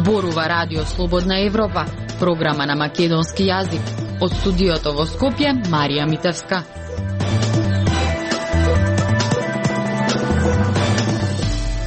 Зборува Радио Слободна Европа, програма на македонски јазик. Од студиото во Скопје, Марија Митевска.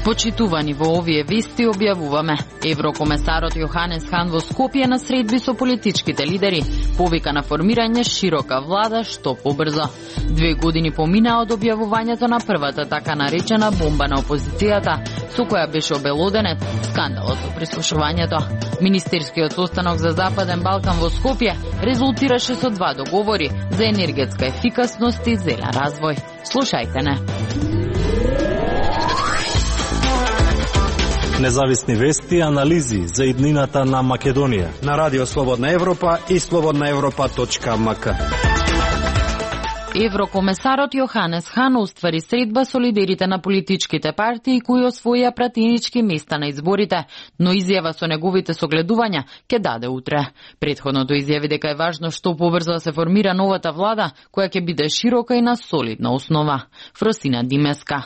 Почитувани во овие вести објавуваме. Еврокомесарот Јоханес Хан во Скопје на средби со политичките лидери повика на формирање широка влада што побрзо. 2 години поминаа од објавувањето на првата така наречена бомба на опозицијата, со која беше обелоденет скандалот со прислушувањето. Министерскиот состанок за Западен Балкан во Скопје резултираше со 2 договори за енергетска ефикасност и зелен развој. Слушајте не. Независни вести и анализи за иднината на Македонија на Радио Слободна Европа и slobodnaevropa.mk. Еврокомесарот Јоханес Хан уствари средба со лидерите на политичките партии кои освоија пратенички места на изборите, но изјава со неговите согледувања ќе даде утре. Претходното изјави дека е важно што побрзо да се формира новата влада, која ќе биде широка и на солидна основа. Фросина Димеска.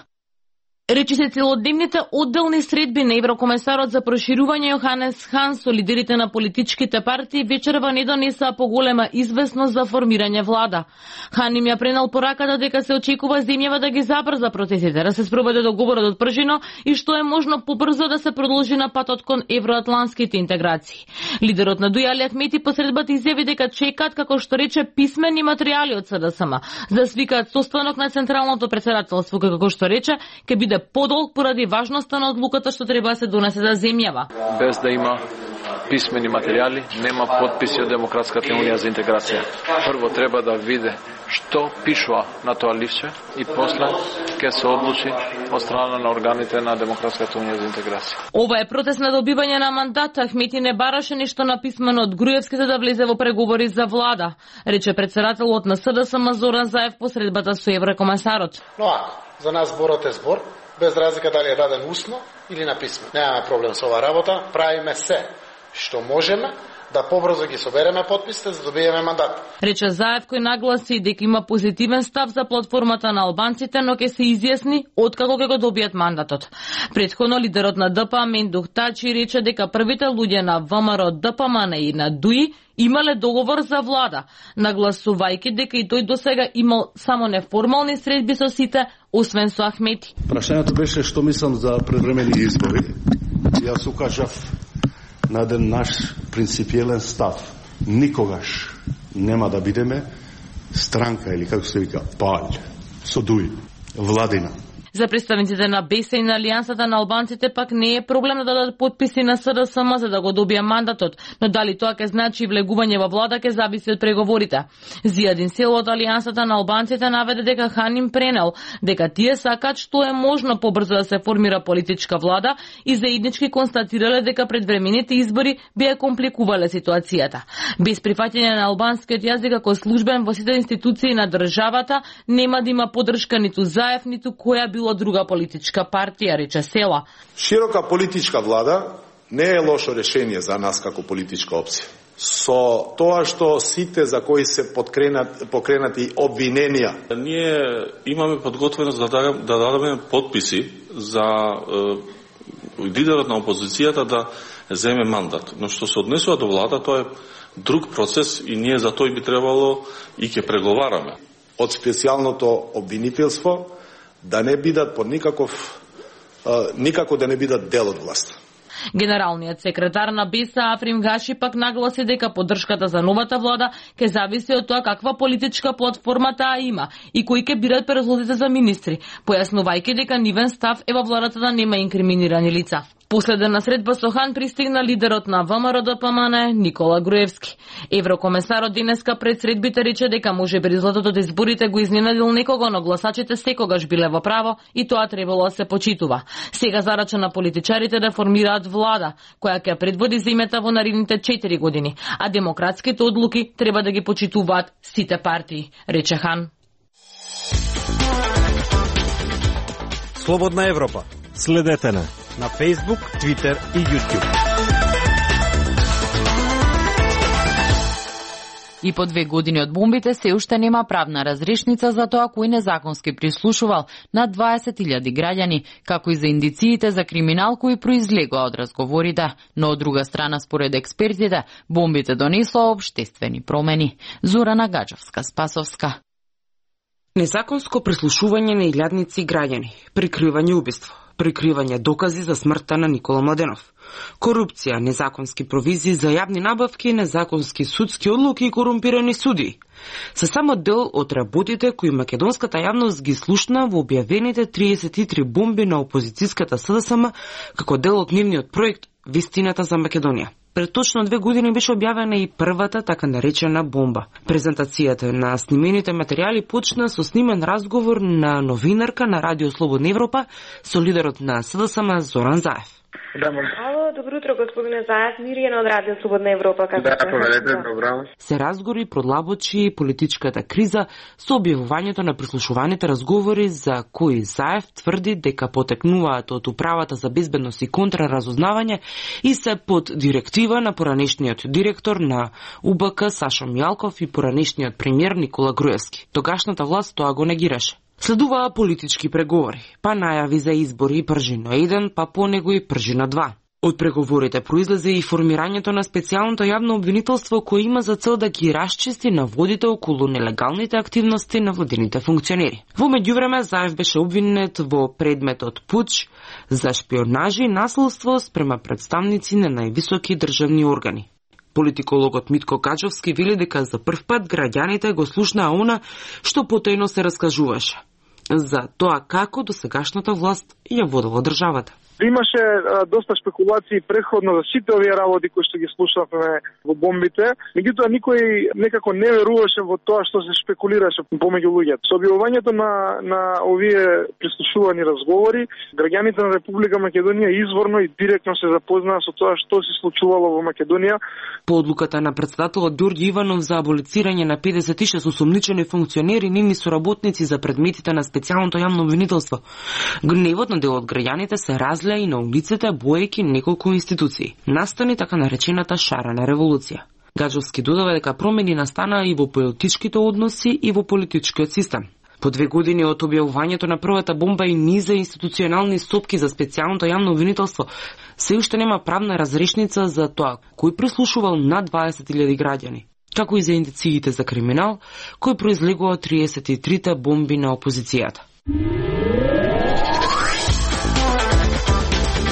Речи се целодневните одделни средби на еврокомесарот за проширување Јоханес Хан со лидерите на политичките партии вечерва не донесаа поголема известност за формирање влада. Хан им ја пренел пораката дека се очекува земјава да ги забрза процесите, да се спроведе договорот од пржино и што е можно побрзо да се продолжи на патот кон евроатланските интеграции. Лидерот на ДУИ Али Ахмети по средбата изјави дека чекаат, како што рече, писмени материјали од СДСМ, за да свикаат состанок на Централното претседателство, како што рече, ќе биде подолг поради важноста на одлуката што треба да се донесе за земјава. Без да има писмени материјали, нема подписи од Демократската унија за интеграција. Прво треба да види што пишува на тоа ливче и после ќе се одлучи од страна на органите на Демократската унија за интеграција. Ова е протест на добивање на мандат. Ахмети не бараше ништо написмено од Груевски за да влезе во преговори за влада, рече претседателот на СДСМ Зоран Заев по средбата со еврокомесарот. Но ако за нас зборот е збор, без разлика дали е даден усно или написмено. Немаме проблем со оваа работа, правиме се што можеме да побрзо ги собереме подписите за да добиеме мандат. Рече Заев, кој нагласи дека има позитивен став за платформата на албанците, но ќе се изјасни откако ќе го добијат мандатот. Претходно лидерот на ДПМ Мендух Тачи рече дека првите луѓе на ВМРО, ДПМН и на ДУИ имале договор за влада, нагласувајќи дека и тој досега имал само неформални средби со сите, освен со Ахмети. Прашањето беше што мислам за предвремени избори. Јас укажав на еден наш принципиелен став. Никогаш нема да бидеме странка или како се вика палј со ДУИ, владина. За представниците на БЕСА и на Алијансата на албанците пак не е проблем да дадат подписи на СДСМ за да го добија мандатот, но дали тоа ќе значи влегување во влада ќе зависи од преговорите. Зијадин Сел од Алијансата на албанците наведе дека Хан им пренел дека тие сакаат што е можно побрзо да се формира политичка влада и заеднички констатирале дека предвремените избори би компликувале ситуацијата. Без прифаќање на албанскиот јазик како службен во сите институции на државата нема да има поддршка ниту Заев, ниту која било друга политичка партија, рече Села. Широка политичка влада не е лошо решение за нас како политичка опција. Со тоа што сите за кои се покренати обвиненија. Ние имаме подготвеност да дадеме подписи за лидерот на опозицијата да земе мандат. Но што се однесува до влада, тоа е друг процес и ние за тој би требало и ќе преговараме. Од специјалното обвинителство да не бидат под никако да не бидат дел од власт. Генералниот секретар на БЕСА Африм Гаши пак нагласи дека поддршката за новата влада ќе зависи од тоа каква политичка платформа таа има и кои ќе бират предлозите за министри, појаснувајќи дека нивен став е во владата да нема инкриминирани лица. Последна средба со Хан пристигна лидерот на ВМРО ДПМН Никола Груевски. Еврокомесарот денеска пред средбите рече дека можеби резултатот од изборите го изненадил некого, но гласачите секогаш биле во право и тоа требало да се почитува. Сега зарача на политичарите да формираат влада, која ќе предводи земјата во наредните 4 години, а демократските одлуки треба да ги почитуваат сите партии, рече Хан. Слободна Европа. Следете на Facebook, Twitter и YouTube. И по 2 години од бомбите се уште нема правна разрешница за тоа кој незаконски прислушувал над 20.000 граѓани, како и за индициите за криминал кои произлегоа од разговорите. Но од друга страна, според експертите, бомбите донесоа општествени промени. Зорана Гаджевска-Спасовска. Незаконско прислушување на илјадници граѓани, прикривање убиство, прикривање докази за смртта на Никола Младенов, корупција, незаконски провизии за јавни набавки, незаконски судски одлуки и корумпирани суди. Се само дел од работите кои македонската јавност ги слушна во објавените 33 бомби на опозицијската СДСМ како дел од нивниот проект Вистината за Македонија. Пред точно 2 години беше објавена и првата така наречена бомба. Презентацијата на снимените материјали почна со снимен разговор на новинарка на Радио Слободна Европа со лидерот на СДСМ Зоран Заев. Ало, добро утро, господине Заев, Миријана од Радио Слободна Европа. Како добро. Се разгори продлабочи политичката криза со објавувањето на прислушуваните разговори за кои Заев тврди дека потекнуваат од Управата за безбедност и контраразузнавање и се под директива на поранешниот директор на УБК Сашо Мијалков и поранешниот премиер Никола Груевски. Тогашната власт тоа го негираше. Следуваа политички преговори, па најави за избори Пржино 1, па по него и Пржино 2. Од преговорите произлезе и формирањето на специјалното јавно обвинителство кој има за цел да ги расчисти наводите околу нелегалните активности на владините функционери. Во меѓувреме Заев беше обвинет во предметот пуч за шпионажи и насилство спрема представници на највисоки државни органи. Политикологот Митко Качовски вели дека за прв пат граѓаните го слушнаа она што потајно се раскажуваше за тоа како досегашната власт ја водела државата. Имаше доста спекулации предходно за сите овие работи кои што ги слушавме во бомбите, меѓутоа никој некако не веруваше во тоа што се спекулираше помеѓу луѓето. Со објавувањето на овие прислушувани разговори, граѓаните на Република Македонија изворно и директно се запознаа со тоа што се случувало во Македонија. По одлуката на претседателот Ѓорѓи Иванов за аболицирање на 56 осомничени функционери и нивни соработници за предметите на специјалното јавно обвинителство, гневот на дел од граѓаните се разлеа и на улиците боејќи неколку институции. Настани така наречената шарена револуција. Гаджовски додава дека промени настанаа и во политичките односи и во политичкиот систем. По 2 години од објавувањето на првата бомба и низа институционални стопки за специјалното јавно обвинителство, се уште нема правна разрешница за тоа кој прислушувал над 20.000 граѓани, како и за индициите за криминал кој произлегува од 33 бомби на опозицијата.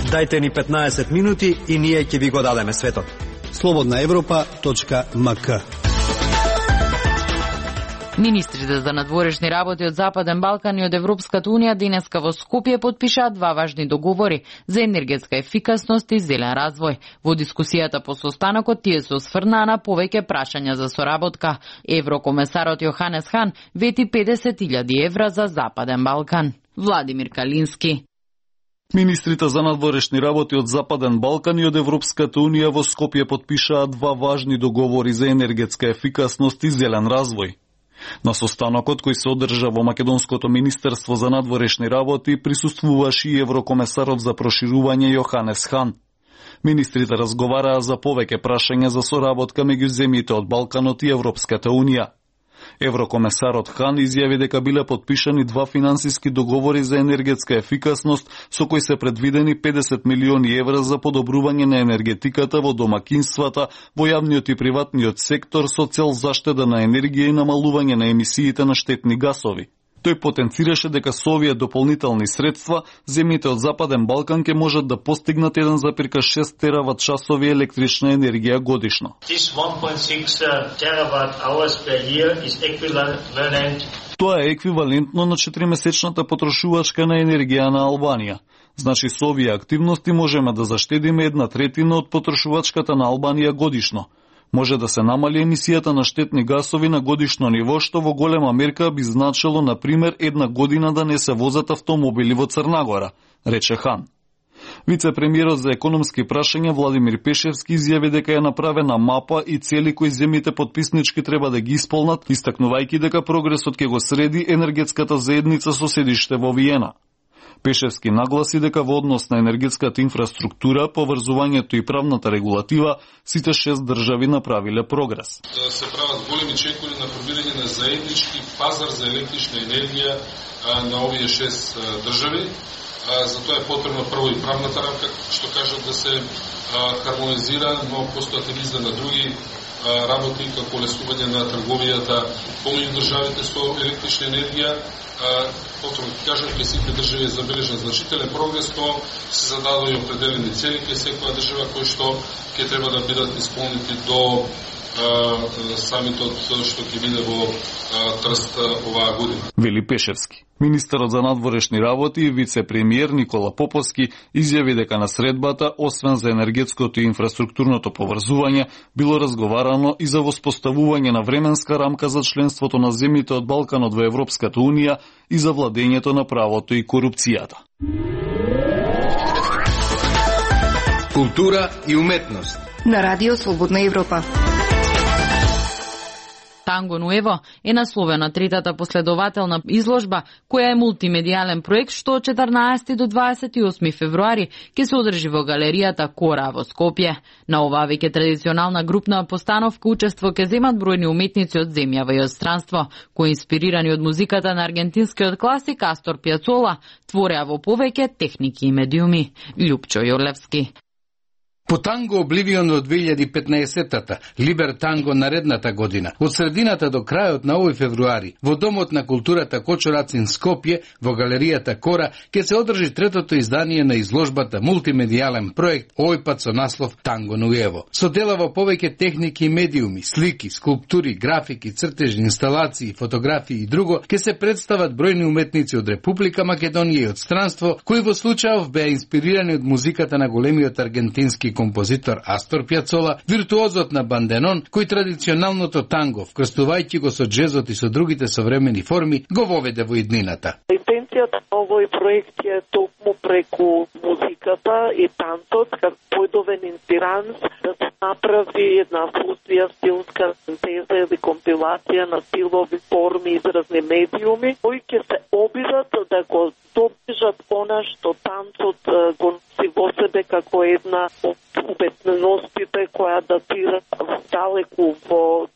Дајте ни 15 минути и ние ќе ви го дадеме светот. slobodnaevropa.mk. Министрите за надворешни работи од Западен Балкан и од Европската унија денеска во Скопје подпишаа 2 важни договори за енергетска ефикасност и зелен развој. Во дискусијата по состанокот тие се осврнаа на повеќе прашања за соработка. Еврокомесарот Јоханес Хан вети 50.000 евра за Западен Балкан. Владимир Калински. Министрите за надворешни работи од Западен Балкан и од Европската унија во Скопје подпишаа 2 важни договори за енергетска ефикасност и зелен развој. На состанокот кој се одржа во Македонското министерство за надворешни работи присуствуваше и еврокомесарот за проширување Јоханес Хан. Министрите разговараа за повеќе прашања за соработка меѓу земјите од Балканот и Европската унија. Еврокомесарот Хан изјави дека биле подпишани 2 финансиски договори за енергетска ефикасност со кои се предвидени 50 милиони евра за подобрување на енергетиката во домакинствата, во јавниот и приватниот сектор со цел заштеда на енергија и намалување на емисиите на штетни гасови. Тој потенцираше дека со овие дополнителни средства, земјите од Западен Балкан ќе можат да постигнат 1,6 терават часови електрична енергија годишно. Тоа е еквивалентно на 4-месечната потрошувачка на енергија на Албанија. Значи со овие активности можеме да заштедиме 1/3 од потрошувачката на Албанија годишно. Може да се намали емисијата на штетни гасови на годишно ниво, што во голема мерка би значило, на пример, 1 година да не се возат автомобили во Црнагора, рече Хан. Вице-премиерот за економски прашања Владимир Пешевски изјави дека е направена мапа и цели кои земјите потписнички треба да ги исполнат, истакнувајќи дека прогресот ќе го среди енергетската заедница со седиште во Виена. Пешевски нагласи дека во однос на енергетската инфраструктура, поврзувањето и правната регулатива, сите 6 држави направиле прогрес. Се прават големи чекори на формирање на заеднички пазар за електрична енергија на овие 6 држави. За тоа е потребно прво и правната рамка, што кажат да се хармонизира, но постојат и низ на други работи како олесување на трговијата помеѓу државите со електрична енергија. Потом кажам дека сите држави забележат значителен прогрес, но се зададоа определени цели кај секоја држава кои што ќе треба да бидат исполнети до самитот што ќе биде во Трст оваа година. Вели Пешевски. Министерот за надворешни работи и вице-премиер Никола Поповски изјави дека на средбата, освен за енергетското и инфраструктурното поврзување, било разговарано и за воспоставување на временска рамка за членството на земјите од Балканот во Европската Унија и за владењето на правото и корупцијата. Култура и уметност на Радио Слободна Европа. Танго Нуево е насловена третата последователна изложба, која е мултимедијален проект што од 14 до 28 февруари ќе се одржи во галеријата Кора во Скопје. На оваа веќе традиционална групна постановка учество ќе земат бројни уметници од земјава и од странство, кои инспирирани од музиката на аргентинскиот класик Астор Пиацола твореа во повеќе техники и медиуми. Љупчо Јорлевски. По Танго Обливион од 2015-тата, Либер Танго наредната година, од средината до крајот на овој февруари, во Домот на културата Кочо-Рацин Скопје, во галеријата Кора, ќе се одржи третото издание на изложбата мултимедијален проект, овој пат со наслов Танго Нуево. Со дела во повеќе техники и медиуми, слики, скулптури, графики, цртежи, инсталации, фотографии и друго, ќе се представат бројни уметници од Република Македонија и од странство, кои во случајов беа инспирирани од музиката на големиот аргентински композитор Астор Пиацола, виртуозот на банденон, кој традиционалното танго, вкрстувајќи го со джезот и со другите современи форми, го воведе во иднината. Интенцијата на овој проект е токму преку музиката и танцот, како појдовен инспиранс, да се направи една фузија, стилска синтеза или компилација на стилови, форми и изразни медиуми, кои ќе се обидат да го доближат она што танцот го носи во себе како една од уметностите која датира далеку во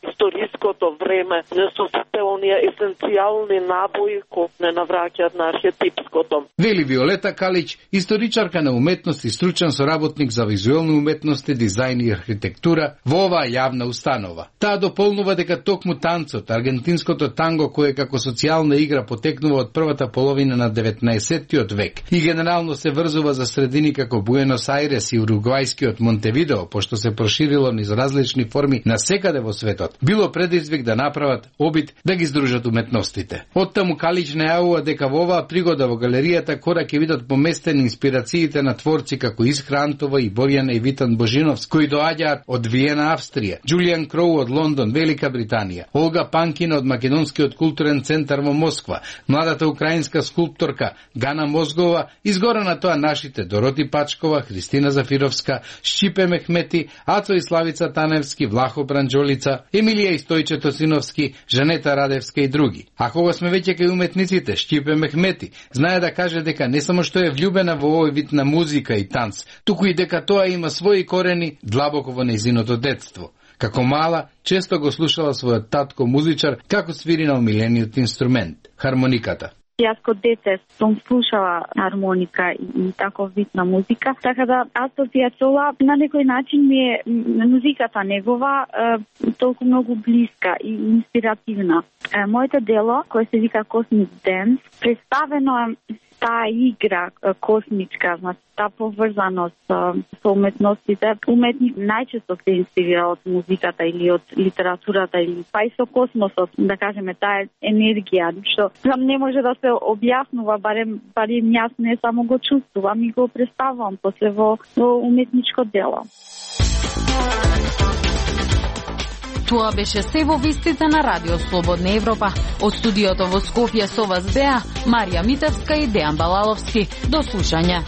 историското време, не со сите оние есенцијални набои кои не навраќаат на архетипското. Вели Виолета Калич, историчарка на уметност и стручен соработник за визуелни уметности, дизајн и архитектура во оваа јавна установа. Таа дополнува дека токму танцот, аргентинското танго кое како социјална игра потекнува од првата половина на 19-тиот век и генерално се врзува за средини како Буенос Ајрес и уругвајскиот Монтевидео, пошто се проширило низ различни форми на секаде во светот, било предизвик да направат обид да ги здружат уметностите. Оттаму Калич најавува дека во оваа пригода во галеријата Кора ќе видат поместени инспирациите на творци како Искра Антова и Борјана и Витан Божиновски, кои доаѓаат од Виена, Австрија, Џулијан Кроу од Лондон, Велика Британија, Олга Панкина од Македонскиот културен центар во Москва, младата украинска скулпторка Гана Мозгова, изгора на тоа нашите Дороти Пачкова, Христина Зафировска, Шчипе Мехмети, Ацо и Славица Таневски, Влахо Бранџолица, Емилија и Стојче Тосиновски, Жанета Радевска и други. А кога сме веќе кај уметниците, Шчипе Мехмети знае да каже дека не само што е влюбена во овој вид на музика и танц, туку и дека тоа има своји корени длабоко во нејзиното детство. Како мала, често го слушала својот татко музичар како свири на омилениот инструмент – хармониката. Јас кога дете сум слушала хармоника и таков вид на музика, така да Астор Пиацола на некој начин ми е музиката негова толку многу блиска и инспиративна. Моето дело, кое се вика Cosmic Dance, представено е таа игра космичка, значи таа поврзаност со уметностите. Уметник најчесто се инспирира од музиката или од литературата или па и со космосот, да кажеме таа енергија, што не може да се објаснува, барем јас не само го чувствувам и го представувам после во уметничко дело. Тоа беше се во вестите на Радио Слободна Европа. Од студиото во Скопје со вас беа Марија Митевска и Дејан Балаловски. До слушање.